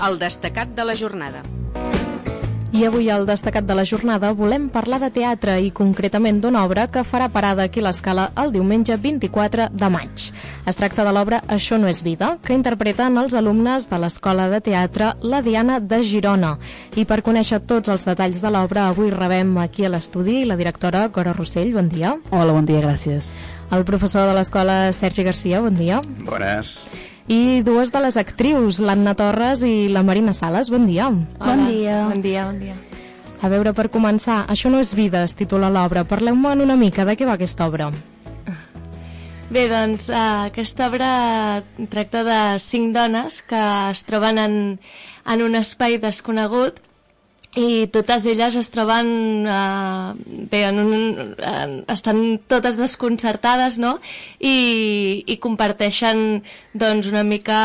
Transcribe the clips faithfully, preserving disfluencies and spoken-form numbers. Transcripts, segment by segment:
El destacat de la jornada. I avui al destacat de la jornada volem parlar de teatre i concretament d'una obra que farà parada aquí a l'Escala el diumenge vint-i-quatre de maig. Es tracta de l'obra Això no és vida, que interpreten els alumnes de l'Escola de Teatre La Diana de Girona. I per conèixer tots els detalls de l'obra, avui rebem aquí a l'estudi la directora Cora Rossell, bon dia. Hola, bon dia, gràcies. El professor de l'escola Sergi Garcia, bon dia. Bones. I dues de les actrius, l'Anna Torres i la Marina Sales, bon dia. Hola. Bon dia. Bon dia, bon dia. A veure, per començar, Això no és vida, es titula l'obra. Parleu-me'n una mica de què va aquesta obra. Bé, doncs, uh, aquesta obra tracta de cinc dones que es troben en, en un espai desconegut i totes elles es troben uh, bé, en un, uh, estan totes desconcertades, no? I, i comparteixen doncs una mica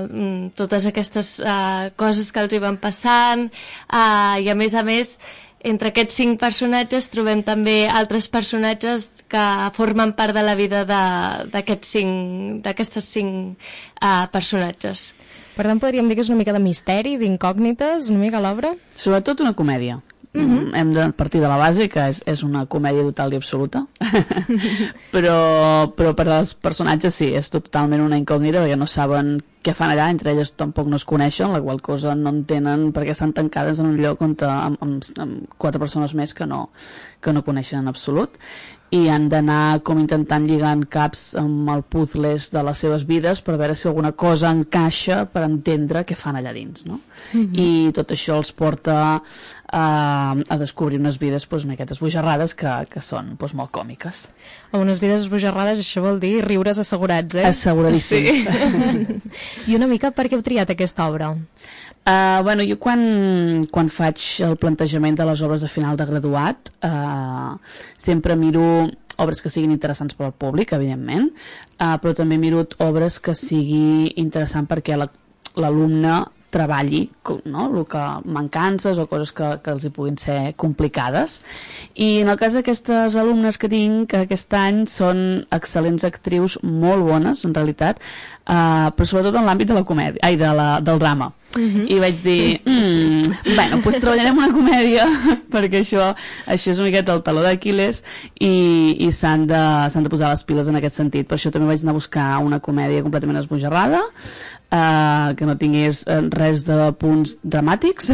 uh, totes aquestes uh, coses que els hi van passant, uh, i a més a més entre aquests cinc personatges trobem també altres personatges que formen part de la vida d'aquests cinc, d'aquestes cinc uh, personatges. Per tant, podríem dir que és una mica de misteri, d'incògnites, una mica l'obra? Sobretot una comèdia. Uh-huh. Hem de partir de la base, que és, és una comèdia total i absoluta. però, però per als personatges sí, és totalment una incògnita, perquè no saben què fan allà, entre elles tampoc no es coneixen, la qual cosa no entenen perquè estan tancades en un lloc on, amb, amb, amb quatre persones més que no, que no coneixen en absolut, i han d'anar com intentant lligant caps amb el puzzles de les seves vides per veure si alguna cosa encaixa per entendre què fan allà dins, no? Mm-hmm. I tot això els porta a, a descobrir unes vides doncs, una miqueta esbojarrades que, que són doncs, molt còmiques. A unes vides esbojarrades, això vol dir riures assegurats, eh? Asseguradíssims. Sí. I una mica per què heu triat aquesta obra? Uh, bueno, jo quan, quan faig el plantejament de les obres de final de graduat uh, sempre miro obres que siguin interessants per al públic, evidentment, uh, però també miro obres que sigui interessant perquè l'alumne treballi, no? El que mancances o coses que, que els hi puguin ser complicades. I en el cas d'aquestes alumnes que tinc aquest any són excel·lents actrius, molt bones en realitat, uh, però sobretot en l'àmbit de la comèdia, ai, de la, del drama. Uh-huh. I vaig dir, mm, bueno, doncs treballarem una comèdia perquè això, això és una miqueta el taló d'Aquil·les i, i s'han de, s'han de posar les piles en aquest sentit. Per això també vaig anar a buscar una comèdia completament esbojarrada, uh, que no tingués res de punts dramàtics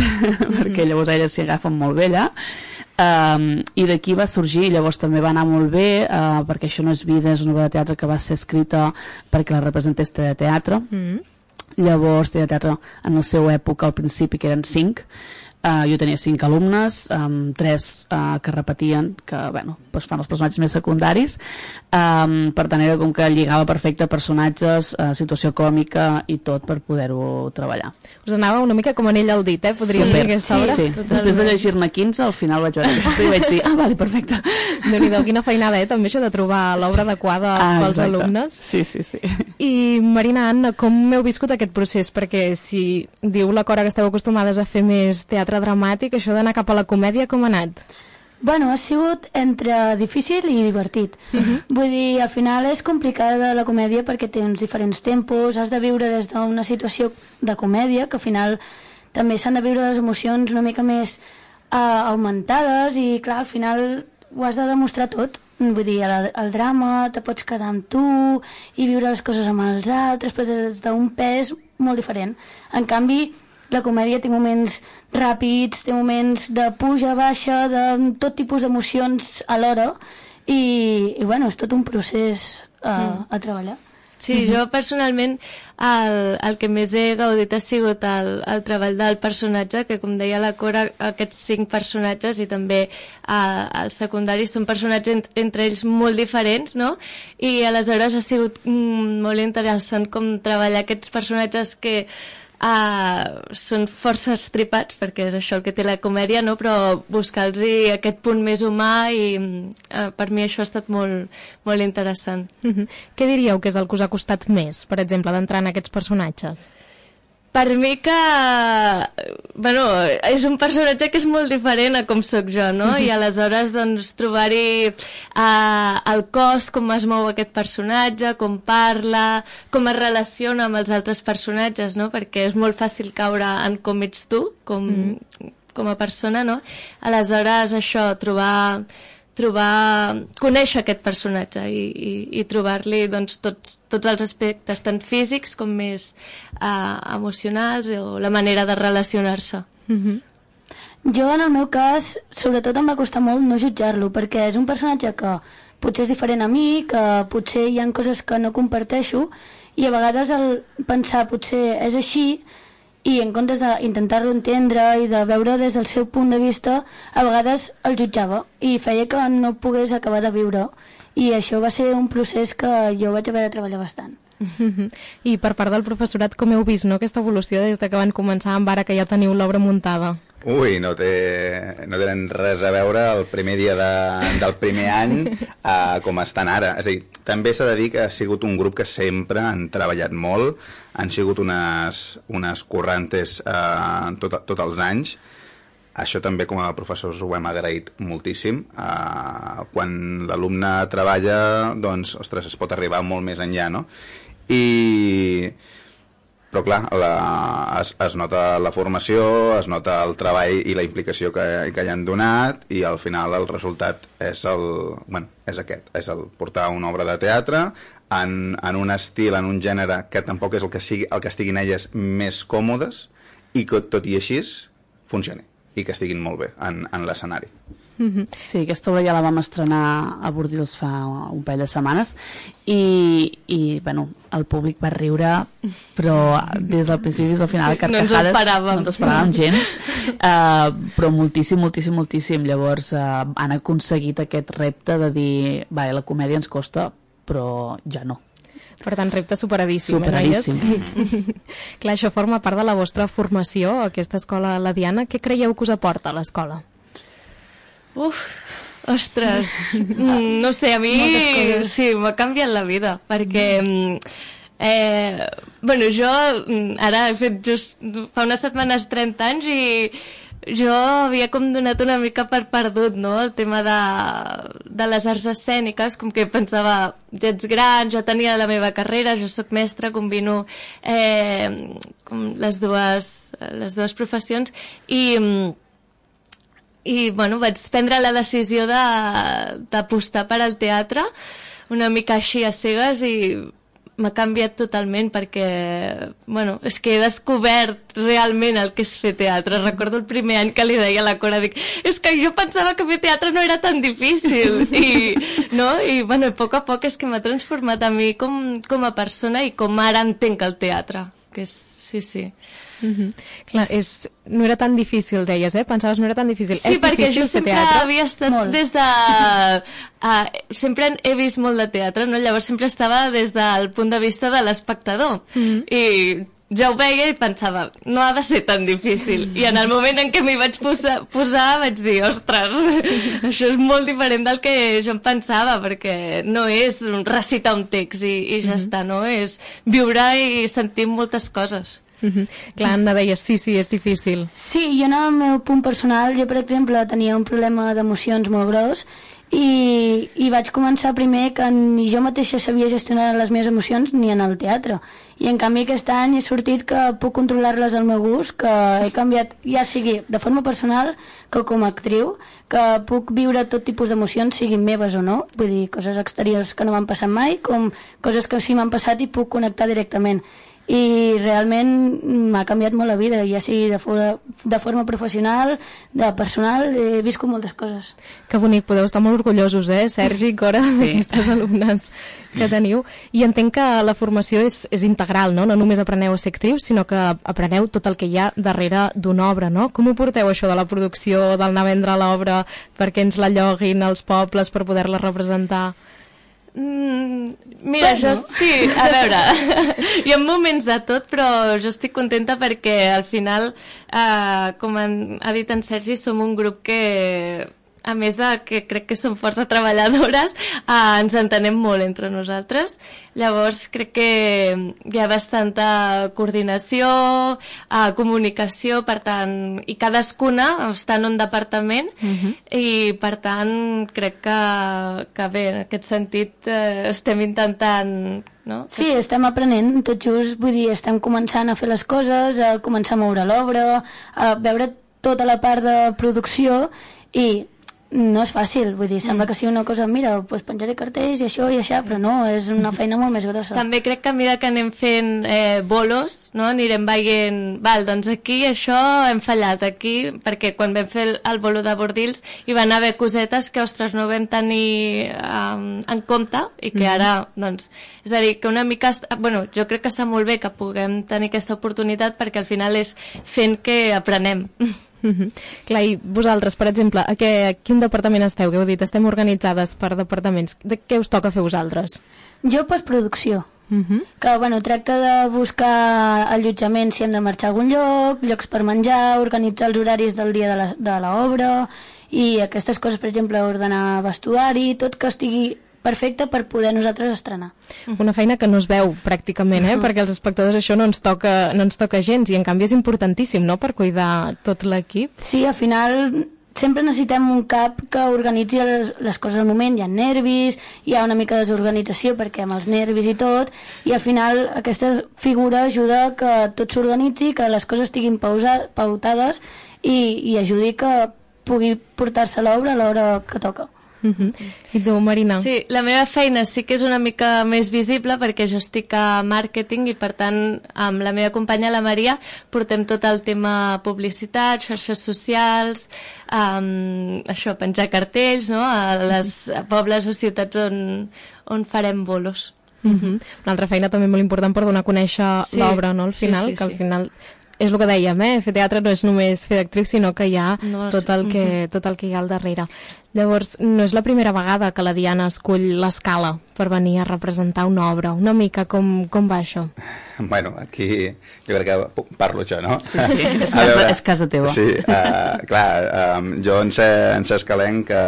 perquè llavors elles s'hi agafen molt bé allà. Um, i d'aquí va sorgir, llavors també va anar molt bé, uh, perquè Això no és vida, és una obra de teatre que va ser escrita perquè la representés de teatre. Mm. Llavors, de teatre en la seva època, al principi, que eren cinc, uh, jo tenia cinc alumnes, um, tres uh, que repetien, que bueno, doncs fan els personatges més secundaris, um, per tant era com que lligava perfecte personatges, uh, situació còmica i tot per poder-ho treballar. Us anava una mica com anell al dit, eh? Podríem dir aquesta obra? Sí, sí. Després de llegir-ne quinze, al final vaig veure i vaig dir, ah, vale, perfecte. Déu-n'hi-do, quina feinada, eh? També això de trobar l'obra adequada ah, pels exacte. alumnes. Sí, sí, sí. I Marina, Anna, com heu viscut aquest procés? Perquè si diu la Cora que esteu acostumades a fer més teatre dramàtic, això d'anar cap a la comèdia, com ha anat? Bueno, ha sigut entre difícil i divertit. Uh-huh. Vull dir, al final és complicada la comèdia perquè té uns diferents tempos, has de viure des d'una situació de comèdia, que al final també s'han de viure les emocions una mica més uh, augmentades i, clar, al final ho has de demostrar tot. Vull dir, el, el drama te pots quedar amb tu i viure les coses amb els altres, però des d'un pes molt diferent. En canvi, la comèdia té moments ràpids, té moments de puja, baixa, de tot tipus d'emocions alhora i, i bueno, és tot un procés a, mm. a treballar. Sí, mm-hmm. Jo personalment el, el que més he gaudit ha sigut el, el treball del personatge, que com deia la Cora, aquests cinc personatges i també eh, els secundaris són personatges ent, entre ells molt diferents, no? I aleshores ha sigut mm, molt interessant com treballar aquests personatges que Uh, són força estripats, perquè és això el que té la comèdia, no? Però buscar-los aquest punt més humà i uh, per mi això ha estat molt, molt interessant. Mm-hmm. Què diríeu que és el que us ha costat més, per exemple, d'entrar en aquests personatges? per mi que... Bueno, és un personatge que és molt diferent a com sóc jo, no? I aleshores, doncs, trobar-hi uh, el cos, com es mou aquest personatge, com parla, com es relaciona amb els altres personatges, no? Perquè és molt fàcil caure en com ets tu, com, mm. com a persona, no? Aleshores, això, trobar... trobar, conèixer aquest personatge i, i, i trobar-li doncs, tots, tots els aspectes tant físics com més uh, emocionals o la manera de relacionar-se. Mm-hmm. Jo, en el meu cas, sobretot em va costar molt no jutjar-lo, perquè és un personatge que potser és diferent a mi, que potser hi ha coses que no comparteixo, i a vegades el pensar potser és així, i en comptes d'intentar-lo entendre i de veure des del seu punt de vista, a vegades el jutjava i feia que no pogués acabar de viure, i això va ser un procés que jo vaig haver de treballar bastant. I per part del professorat, com heu vist, no, aquesta evolució des de que van començar amb ara que ja teniu l'obra muntada? Ui, no, té, no tenen res a veure el primer dia de, del primer any uh, com estan ara. És a dir, també s'ha de dir que ha sigut un grup que sempre han treballat molt, han sigut unes, unes currantes uh, tot, tots els anys. Això també com a professors ho hem agraït moltíssim. Uh, quan l'alumne treballa, doncs, ostres, es pot arribar molt més enllà, no? I... Però clar, la, es, es nota la formació, es nota el treball i la implicació que, que hi han donat, i al final el resultat és, el, bueno, és aquest, és el portar una obra de teatre en, en un estil, en un gènere que tampoc és el que, sigui, el que estiguin elles més còmodes, i que tot i així funcioni i que estiguin molt bé en, en l'escenari. Mm-hmm. Sí, aquesta obra ja la vam estrenar a Bordils fa un parell de setmanes i, i bueno, el públic va riure, però des del principi fins al final, sí, carcajades, no ens esperàvem, no ens esperàvem gens, uh, però moltíssim, moltíssim, moltíssim. Llavors uh, han aconseguit aquest repte de dir, va, la comèdia ens costa, però ja no. Per tant, repte superadíssim. Superadíssim. Sí. Clar, això forma part de la vostra formació, aquesta escola La Diana. Què creieu que us aporta a l'escola? Uf, ostres, mm, no sé, a mi sí, m'ha canviat la vida, perquè eh, bueno, jo ara he fet just fa unes setmanes trenta anys i jo havia com donat una mica per perdut, no?, el tema de, de les arts escèniques, com que pensava, ja ets gran, ja tenia la meva carrera, jo sóc mestra, combino eh, com les dues, les dues professions, i i bueno, vaig prendre la decisió d'apostar per al teatre una mica així a cegues i m'ha canviat totalment perquè, bueno, és que he descobert realment el que és fer teatre. Recordo el primer any que li deia a la Cora, dic, és que jo pensava que fer teatre no era tan difícil i, no? I bueno, a poc a poc és que m'ha transformat a mi com, com a persona i com ara entenc el teatre, que és, sí, sí. Mm-hmm. Clar, és, no era tan difícil, deies, eh? Pensaves no era tan difícil. Sí, és perquè difícil jo sempre teatre? havia estat molt. Des de... Uh, sempre he vist molt de teatre, no? Llavors sempre estava des del punt de vista de l'espectador. Mm-hmm. I ja ho veia i pensava, no ha de ser tan difícil. I en el moment en què m'hi vaig posar, posar vaig dir, ostres, això és molt diferent del que jo em pensava, perquè no és recitar un text i, i ja mm-hmm. està, no? És viure i sentir moltes coses. Mm-hmm. Clar, Anna deia, sí, sí, és difícil. Sí, jo en el meu punt personal, jo per exemple tenia un problema d'emocions molt gros i, i vaig començar primer que ni jo mateixa sabia gestionar les meves emocions ni en el teatre, i en canvi aquest any he sortit que puc controlar-les al meu gust, que he canviat, ja sigui de forma personal que com a actriu, que puc viure tot tipus d'emocions, siguin meves o no, vull dir, coses exteriors que no m'han passat mai, com coses que sí m'han passat i puc connectar directament. I realment m'ha canviat molt la vida, ja sigui de, for de forma professional, de personal, he viscut moltes coses. Que bonic, podeu estar molt orgullosos, eh, Sergi i Cora, sí. d'aquestes alumnes que teniu. I entenc que la formació és, és integral, no? No només apreneu a ser actrius, sinó que apreneu tot el que hi ha darrere d'una obra, no? Com ho porteu, això de la producció, del anar a vendre l'obra perquè ens la lloguin als pobles per poder-la representar? Mm, mira, bueno. jo sí, a veure, hi ha moments de tot, però jo estic contenta perquè al final, eh, com han, ha dit en Sergi, som un grup que a més de que crec que som força treballadores, eh, ens entenem molt entre nosaltres. Llavors crec que hi ha bastanta coordinació, eh, comunicació, per tant, i cadascuna està en un departament, uh-huh. i per tant crec que, que bé, en aquest sentit eh, estem intentant... No? Sí, estem aprenent, tot just, vull dir, estem començant a fer les coses, a començar a moure l'obra, a veure tota la part de producció, i no és fàcil, vull dir, sembla que sigui una cosa, mira, doncs penjaré cartells i això i això, però no, és una feina molt més grossa. També crec que a mesura que anem fent eh, bolos, no? Anirem veient, val, doncs aquí això hem fallat, aquí, perquè quan vam fer el, el bolo de Bordils hi van haver cosetes que, ostres, no vam tenir um, en compte i que ara, doncs, és a dir, que una mica, bueno, jo crec que està molt bé que puguem tenir aquesta oportunitat perquè al final és fent que aprenem. Mm-hmm. Clar, i vosaltres, per exemple, a, què, a quin departament esteu? Que heu dit, estem organitzades per departaments. De què us toca fer vosaltres? Jo, postproducció. Mm-hmm. Que, bueno, tracta de buscar allotjament si hem de marxar a algun lloc, llocs per menjar, organitzar els horaris del dia de l'obra i aquestes coses, per exemple, ordenar vestuari, tot que estigui perfecte per poder nosaltres estrenar. Una feina que no es veu pràcticament, eh? Perquè els espectadors això no ens toca, no ens toca gens, i en canvi és importantíssim, no?, per cuidar tot l'equip. Sí, al final sempre necessitem un cap que organitzi les, les coses al moment, hi ha nervis, hi ha una mica de desorganització perquè amb els nervis i tot, i al final aquesta figura ajuda que tot s'organitzi, que les coses estiguin pausa, pautades i, i ajudi que pugui portar-se l'obra a l'hora que toca. Uh-huh. I tu, Marina? Sí, la meva feina sí que és una mica més visible perquè jo estic a màrqueting i per tant amb la meva companya la Maria portem tot el tema publicitat, xarxes socials, um, això, penjar cartells, no?, a les a pobles o ciutats on, on farem bolos. Uh-huh. Una altra feina també molt important per donar a conèixer sí. l'obra, no?, al final, sí, sí, que al final... És el que dèiem, eh? Fer teatre no és només fer d'actriu, sinó que hi ha no, tot, el que, uh-huh. tot el que hi ha al darrere. Llavors, no és la primera vegada que la Diana escull l'Escala per venir a representar una obra. Una mica com, com va això? Bueno, aquí jo crec que parlo jo, no? Sí, sí, és, casa, veure, és casa teva. Sí, uh, clar, um, jo en ser, en ser escalenc que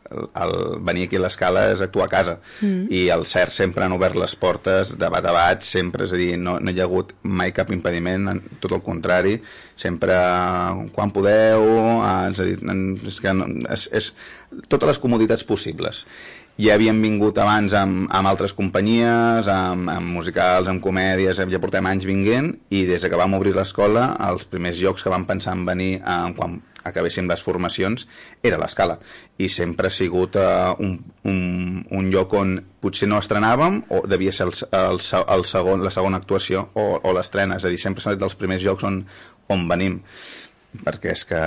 el, el venir aquí a l'Escala és actuar a casa, mm. i el CERT sempre han obert les portes de bat a bat, sempre, és a dir, no, no hi ha hagut mai cap impediment, tot el contrari, sempre quan podeu, és a dir, és que no, és, és totes les comoditats possibles. Ja havíem vingut abans amb, amb altres companyies, amb, amb musicals, amb comèdies, ja portem anys vinguent, i des que vam obrir l'escola, els primers llocs que vam pensar en venir eh, quan acabéssim les formacions era l'Escala, i sempre ha sigut uh, un, un, un lloc on potser no estrenàvem o devia ser el, el, el segon, la segona actuació o, o l'estrena, és a dir, sempre s'ha dit dels primers llocs on, on venim, perquè és que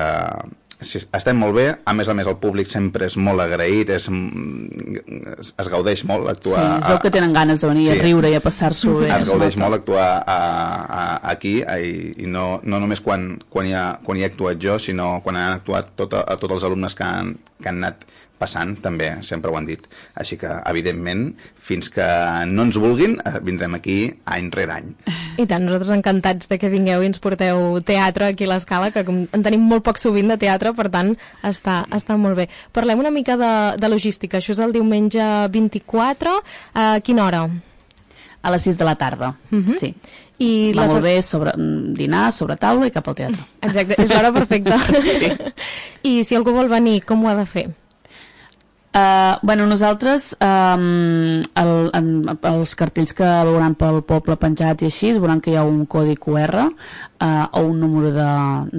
sí, estem molt bé, a més a més el públic sempre és molt agraït, és, es, es gaudeix molt actuar... Sí, es veu que tenen ganes de venir sí, a riure i a passar-s'ho bé. Es gaudeix molt actuar a, a, aquí, a, i no, no només quan, quan, hi ha, quan hi he actuat jo, sinó quan han actuat tot a, a tots els alumnes que han, que han anat passant, també, sempre ho han dit. Així que, evidentment, fins que no ens vulguin, vindrem aquí any rere any. I tant, nosaltres encantats de que vingueu i ens porteu teatre aquí a l'Escala, que en tenim molt poc sovint de teatre, per tant, està, està molt bé. Parlem una mica de, de logística. Això és el diumenge vint-i-quatre. A quina hora? A les sis de la tarda, uh-huh. sí. I va les... molt bé sobre, dinar, sobre taula i cap al teatre. Exacte, és l'hora perfecta. Sí. I si algú vol venir, com ho ha de fer? Uh, bueno, nosaltres um, el, en, els cartells que veuran pel poble penjats i així veuran que hi ha un codi Q R uh, o un número de,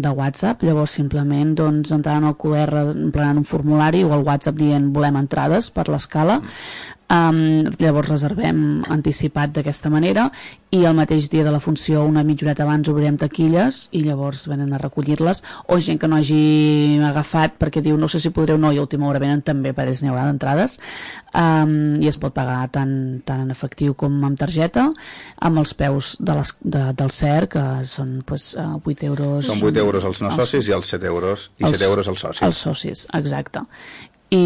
de WhatsApp, llavors simplement doncs, entraran al Q R emplenant un formulari o al WhatsApp dient volem entrades per l'Escala. Um, llavors reservem anticipat d'aquesta manera i el mateix dia de la funció una mitja horeta abans obrirem taquilles i llavors venen a recollir-les, o gent que no hagi agafat perquè diu no sé si podreu no i a última hora venen també, per ells n'hi haurà d'entrades, um, i es pot pagar tant, tant en efectiu com amb targeta, amb els peus de les, de, del C E R, que són pues, uh, vuit euros. Són vuit euros els no socis i els set euros i els, set euros els socis. Els socis, exacte. I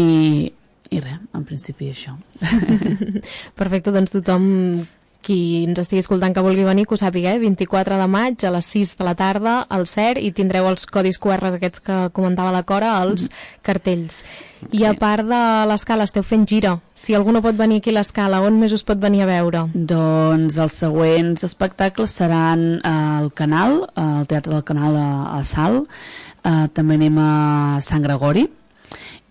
I res, en principi això. Perfecte, doncs tothom qui ens estigui escoltant que vulgui venir, que ho sàpiga, eh? vint-i-quatre de maig a les sis de la tarda al C E R, i tindreu els codis Q R aquests que comentava la Cora, els cartells. I a part de l'escala esteu fent gira. Si algú no pot venir aquí a l'escala, on més us pot venir a veure? Doncs els següents espectacles seran al Canal, al Teatre del Canal a, a Salt, uh, també anem a Sant Gregori,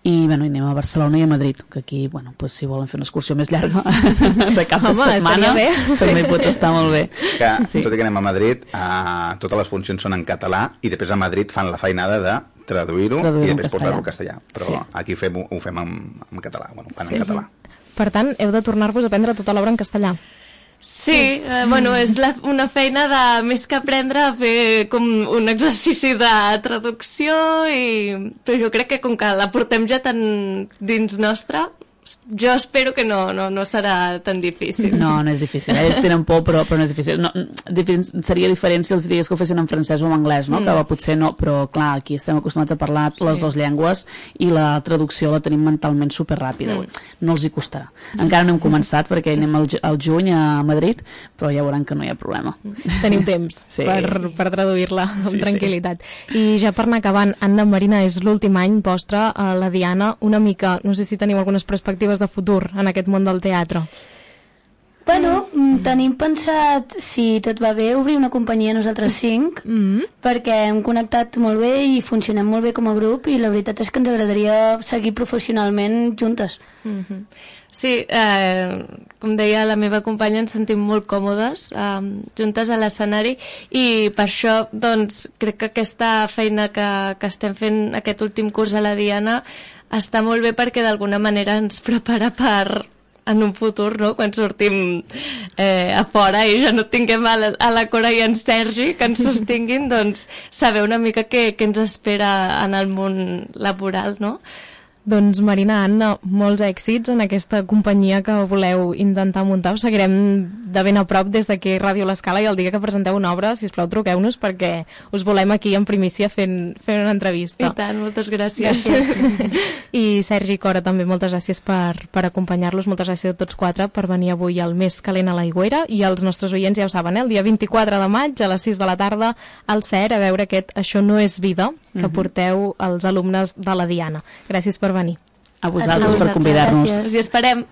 i bueno, anem a Barcelona i a Madrid, que aquí, bueno, pues, si volen fer una excursió més llarga de cap de Home, setmana, bé. també pot estar molt bé. Que, Sí. tot i que anem a Madrid, uh, totes les funcions són en català, i després a Madrid fan la feinada de traduir-ho Traduir-ho i en després castellà. portar-lo al castellà. Però Sí. aquí fem, ho fem en, en català, bueno, fan Sí. en català. Per tant, heu de tornar-vos a aprendre tota l'obra en castellà. Sí, eh, bueno, és la, una feina de més que aprendre a fer com un exercici de traducció, i, però jo crec que com que la portem ja tan dins nostra, jo espero que no, no, no serà tan difícil. No, no és difícil. Eh? Ells tenen por, però, però no és difícil. No, difícil. Seria diferent si els digués que ho fessin en francès o en anglès, no? Mm. Que potser no, però clar, aquí estem acostumats a parlar sí. les dues llengües i la traducció la tenim mentalment superràpida. Mm. No els hi costarà. Encara no hem començat perquè anem al, al juny a Madrid, però ja veuran que no hi ha problema. Teniu temps Sí. per, per traduir-la amb Sí, tranquil·litat. I ja per anar acabant, Anna Marina, és l'últim any vostre a la Diana, una mica, no sé si teniu algunes perspectives de futur en aquest món del teatre. Bueno, mm. tenim pensat, si tot va bé, obrir una companyia nosaltres cinc, Mm. perquè hem connectat molt bé i funcionem molt bé com a grup, i la veritat és que ens agradaria seguir professionalment juntes. Mm-hmm. Sí, eh, com deia la meva companya, ens sentim molt còmodes eh, juntes a l'escenari, i per això doncs, crec que aquesta feina que, que estem fent aquest últim curs a la Diana està molt bé, perquè d'alguna manera ens prepara per en un futur, no? Quan sortim eh, a fora i ja no tinguem a la, a la Cora i en Sergi que ens sostinguin, doncs saber una mica què, què ens espera en el món laboral, no? Doncs Marina, Anna, molts èxits en aquesta companyia que voleu intentar muntar. Us seguirem de ben a prop des d'aquí Ràdio L'Escala, i el dia que presenteu una obra, sisplau, truqueu-nos, perquè us volem aquí en primícia fent, fent una entrevista. I tant, moltes gràcies. gràcies. I Sergi i Cora, també moltes gràcies per, per acompanyar-los, moltes gràcies a tots quatre per venir avui al Més Calent a l'Aigüera, i els nostres oients ja ho saben, eh? El dia vint-i-quatre de maig a les sis de la tarda al C E R, a veure aquest Això no és vida, que uh-huh. porteu els alumnes de la Diana. Gràcies per venir. A vosaltres, a vosaltres per convidar-nos. Gràcies. Us hi esperem.